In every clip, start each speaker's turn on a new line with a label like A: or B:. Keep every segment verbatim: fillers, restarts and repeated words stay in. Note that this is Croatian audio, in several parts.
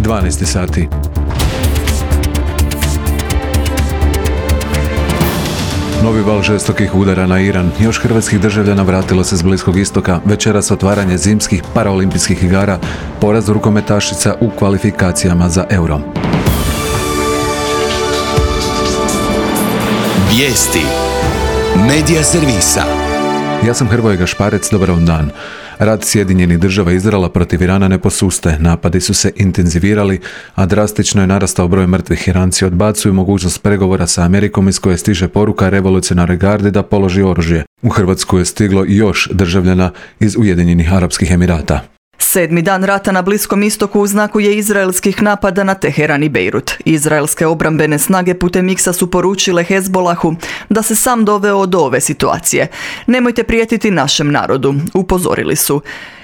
A: dvanaest sati. Novi val žestokih udara na Iran. Još hrvatskih državljana vratilo se s Bliskog istoka. Večeras otvaranje zimskih paraolimpijskih igara, poraz rukometašica u kvalifikacijama za Euro.
B: Vijesti Medija servisa.
A: Ja sam Hrvoje Gašparec, dobar vam dan. Rat Sjedinjenih država i Izraela protiv Irana ne posuste. Napadi su se intenzivirali, a drastično je narastao broj mrtvih. Iranci odbacuju mogućnost pregovora sa Amerikom iz koje stiže poruka revolucionarnoj gardi da položi oružje. U Hrvatsku je stiglo još državljana iz Ujedinjenih Arapskih Emirata.
C: Sedmi dan rata na Bliskom istoku u znaku je izraelskih napada na Teheran i Bejrut. Izraelske obrambene snage putem X-a su poručile Hezbolahu da se sam doveo do ove situacije. Nemojte prijetiti našem narodu, upozorili su.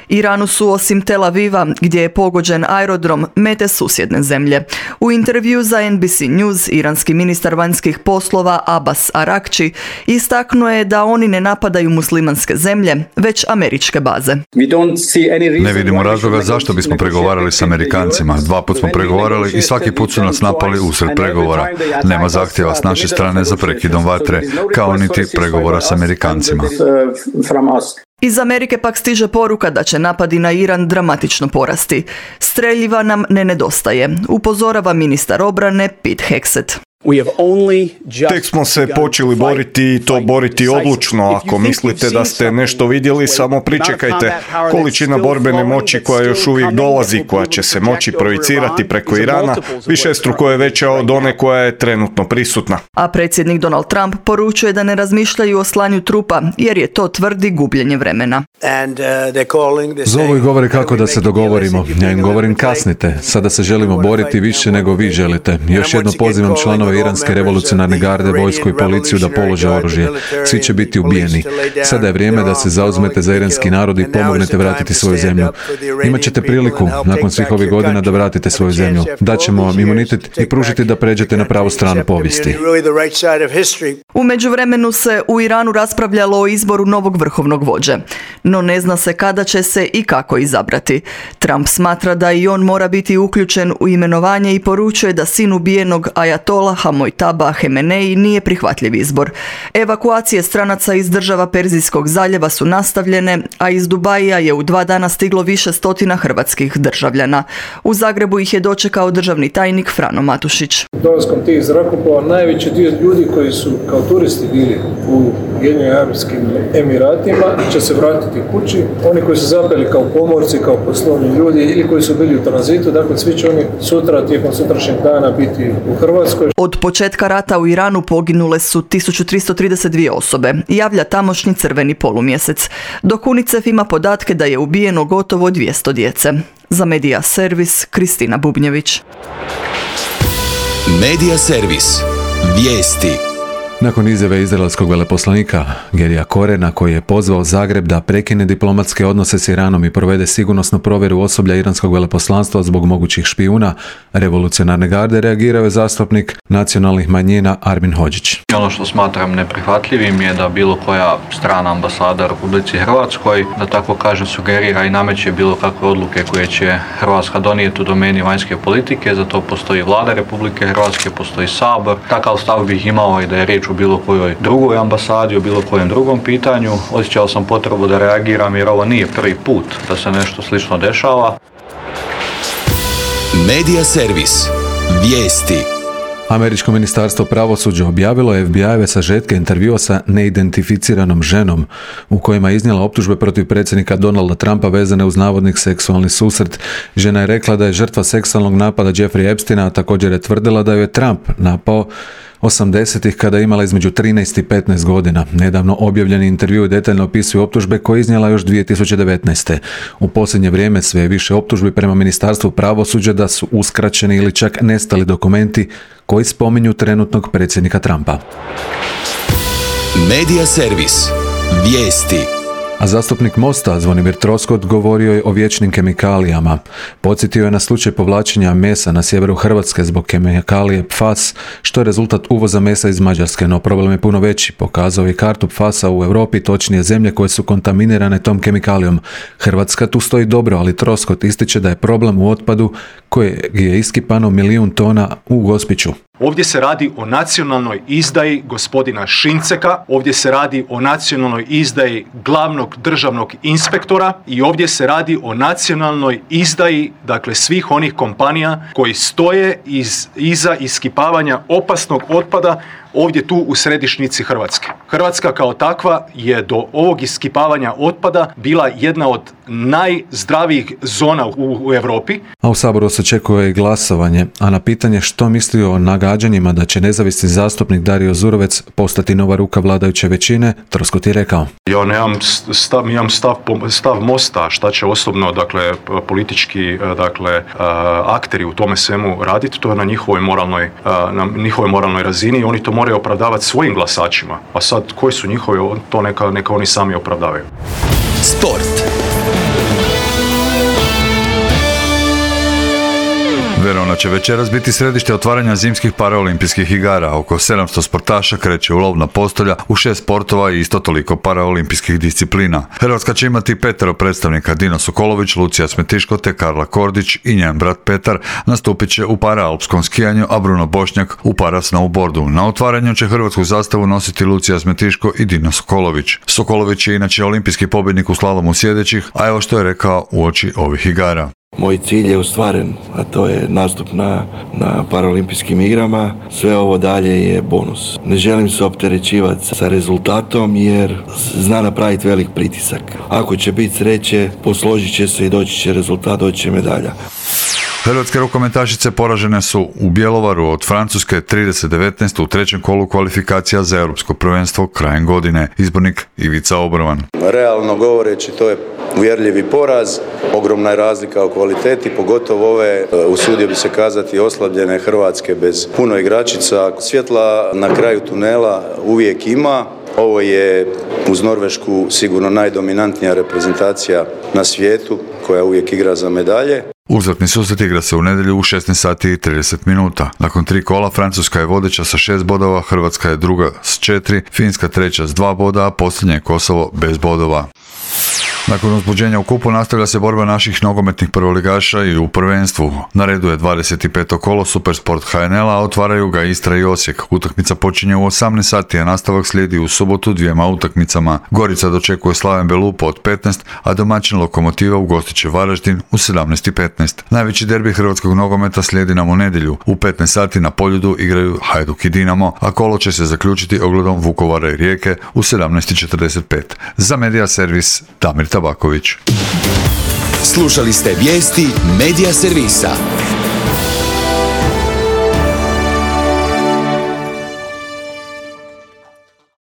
C: Iranu su osim Tel Aviva, gdje je pogođen aerodrom, mete susjedne zemlje. U intervju za N B C News, iranski ministar vanjskih poslova Abbas Arakči istaknuo je da oni ne napadaju muslimanske zemlje, već američke baze.
D: Ne vidimo razloga zašto bismo pregovarali s Amerikancima. Dva put smo pregovarali i svaki put su nas napali usred pregovora. Nema zahtjeva s naše strane za prekidom vatre, kao niti pregovora s Amerikancima.
C: Iz Amerike pak stiže poruka da će napadi na Iran dramatično porasti. Streljiva nam ne nedostaje, upozorava ministar obrane Pete Hegseth.
E: Tek smo se počeli boriti i to boriti odlučno. Ako mislite da ste nešto vidjeli, samo pričekajte. Količina borbene moći koja još uvijek dolazi, koja će se moći projicirati preko Irana, višestruko je veća od one koja je trenutno prisutna.
C: A predsjednik Donald Trump poručuje da ne razmišljaju o slanju trupa, jer je to, tvrdi, gubljenje vremena.
A: Zovu i govore kako da se dogovorimo. Ja im govorim kasnite. Sada se želimo boriti više nego vi želite. Još jedno pozivam članove Iranske revolucionarne garde, vojsku i policiju da polože oružje. Svi će biti ubijeni. Sada je vrijeme da se zauzmete za iranski narod i pomognete vratiti svoju zemlju. Imaćete priliku, nakon svih ovih godina, da vratite svoju zemlju. Daćemo vam imunitet i pružiti da pređete na pravu stranu povijesti.
C: U međuvremenu se u Iranu raspravljalo o izboru novog vrhovnog vođe. No ne zna se kada će se i kako izabrati. Trump smatra da i on mora biti uključen u imenovanje i poručuje da sin ubijenog ajatolaha Mojtaba Hemenei nije prihvatljiv izbor. Evakuacije stranaca iz država Perzijskog zaljeva su nastavljene, a iz Dubaija je u dva dana stiglo više stotina hrvatskih državljana. U Zagrebu ih je dočekao državni tajnik Frano Matušić.
F: Dolaskom tih zrakoplova najveći dio ljudi koji su kao turisti bili u Ujedinjenim Arapskim Emiratima će se vratiti kući. Oni koji su zapeli kao pomorci, kao poslovni ljudi ili koji su bili u tranzitu, dakle svi će oni sutra, tijekom sutrašnjeg dana biti u Hrvatskoj.
C: Od početka rata u Iranu poginule su tisuću tristo trideset dvije osobe, javlja tamošnji Crveni polumjesec, dok UNICEF ima podatke da je ubijeno gotovo dvjesto djece. Za Medija servis, Kristina Bubnjević.
B: Medija servis. Vijesti.
A: Nakon izjave izraelskog veleposlanika Gerija Korena, koji je pozvao Zagreb da prekine diplomatske odnose s Iranom i provede sigurnosnu provjeru osoblja iranskog veleposlanstva zbog mogućih špijuna revolucionarne garde, reagirao je zastupnik nacionalnih manjina Armin Hodžić.
G: Ono što smatram neprihvatljivim je da bilo koja strana ambasada u Republici Hrvatskoj, da tako kažem, sugerira i nameće bilo kakve odluke koje će Hrvatska donijeti u domeni vanjske politike. Za to postoji Vlada Republike Hrvatske, postoji Sabor. Takav stav bih imao i da je riječ u bilo kojoj drugoj ambasadi, u bilo kojem drugom pitanju. Osjećao sam potrebu da reagiram jer ovo nije prvi put da se nešto slično dešava.
B: Medija servis. Vijesti.
A: Američko ministarstvo pravosuđa objavilo je F B I-eve sažetke intervjua sa neidentificiranom ženom u kojima je iznijela optužbe protiv predsjednika Donalda Trumpa vezane uz navodni seksualni susret. Žena je rekla da je žrtva seksualnog napada Jeffrey Epsteina, a također je tvrdila da ju je Trump napao osamdesetih kada je imala između trinaest i petnaest godina. Nedavno objavljeni intervju detaljno opisuju optužbe koje je iznijela još dvije tisuće devetnaeste. U posljednje vrijeme sve je više optužbi prema ministarstvu pravosuđa da su uskraćeni ili čak nestali dokumenti koji spominju trenutnog predsjednika Trumpa.
B: Medija servis. Vijesti.
A: A zastupnik Mosta Zvonimir Troskot govorio je o vječnim kemikalijama. Podsjetio je na slučaj povlačenja mesa na sjeveru Hrvatske zbog kemikalije P F A S, što je rezultat uvoza mesa iz Mađarske, no problem je puno veći. Pokazao je kartu P F A S-a u Europi, točnije zemlje koje su kontaminirane tom kemikalijom. Hrvatska tu stoji dobro, ali Troskot ističe da je problem u otpadu kojeg je iskipano milijun tona u Gospiću.
H: Ovdje se radi o nacionalnoj izdaji gospodina Šinceka, ovdje se radi o nacionalnoj izdaji glavnog državnog inspektora i ovdje se radi o nacionalnoj izdaji, dakle, svih onih kompanija koji stoje iz, iza iskipavanja opasnog otpada ovdje tu u središnjici Hrvatske. Hrvatska kao takva je do ovog iskipavanja otpada bila jedna od najzdravijih zona u, u Europi.
A: A u Saboru se očekuje i glasovanje, a na pitanje što misli o nagađanjima da će nezavisni zastupnik Dario Zurovec postati nova ruka vladajuće većine, Troskot je rekao:
H: Ja nemam stav, imam stav, stav Mosta, šta će osobno, dakle, politički, dakle, akteri u tome svemu raditi, to je na njihovoj moralnoj, na njihovoj moralnoj razini i oni to moraju opravdavati svojim glasačima. A sad, koji su njihovi, to neka, neka oni sami opravdavaju.
B: Sport.
D: Verona će večeras biti središte otvaranja zimskih paraolimpijskih igara. Oko sedamsto sportaša kreće u lov na postolja u šest sportova i isto toliko paraolimpijskih disciplina. Hrvatska će imati petero predstavnika: Dino Sokolović, Lucija Smetiško te Karla Kordić i njen brat Petar nastupit će u paraalpskom skijanju, a Bruno Bošnjak u parasnowboardu. Na otvaranju će hrvatsku zastavu nositi Lucija Smetiško i Dino Sokolović. Sokolović je inače olimpijski pobjednik u slalomu sjedećih, a evo što je rekao uoči ovih igara.
I: Moj cilj je ostvaren, a to je nastup na, na paraolimpijskim igrama. Sve ovo dalje je bonus. Ne želim se opterećivati sa rezultatom jer zna napraviti velik pritisak. Ako će biti sreće, posložit će se i doći će rezultat, doći će medalja.
D: Hrvatske rukometašice poražene su u Bjelovaru od Francuske trideset devetnaest u trećem kolu kvalifikacija za europsko prvenstvo krajem godine. Izbornik Ivica Obrovan.
J: Realno govoreći, to je uvjerljivi poraz, ogromna je razlika u kvaliteti, pogotovo ove, usudio bi se kazati, oslabljene Hrvatske bez puno igračica. Svjetla na kraju tunela uvijek ima. Ovo je uz Norvešku sigurno najdominantnija reprezentacija na svijetu koja uvijek igra za medalje.
D: Uzvratni susret igra se u nedjelju u šesnaest sati i trideset minuta. Nakon tri kola Francuska je vodeća sa šest bodova, Hrvatska je druga s četiri, Finska treća s dva boda, a posljednje je Kosovo bez bodova. Nakon uzbuđenja u kupu nastavlja se borba naših nogometnih prvoligaša i u prvenstvu. Na redu je dvadeset peto kolo Supersport H N L-a, a otvaraju ga Istra i Osijek. Utakmica počinje u osamnaest sati, a nastavak slijedi u subotu dvijema utakmicama. Gorica dočekuje Slaven Belupo od petnaest, a domaćin Lokomotiva ugostit će Varaždin u sedamnaest i petnaest. Najveći derbi hrvatskog nogometa slijedi nam u nedjelju. U petnaest sati na Poljudu igraju Hajduk i Dinamo, a kolo će se zaključiti ogledom Vukovara i Rijeke u sedamnaest i četrdeset pet. Za Media Servis, Damir Tabaković.
B: Slušali ste vijesti Media Servisa.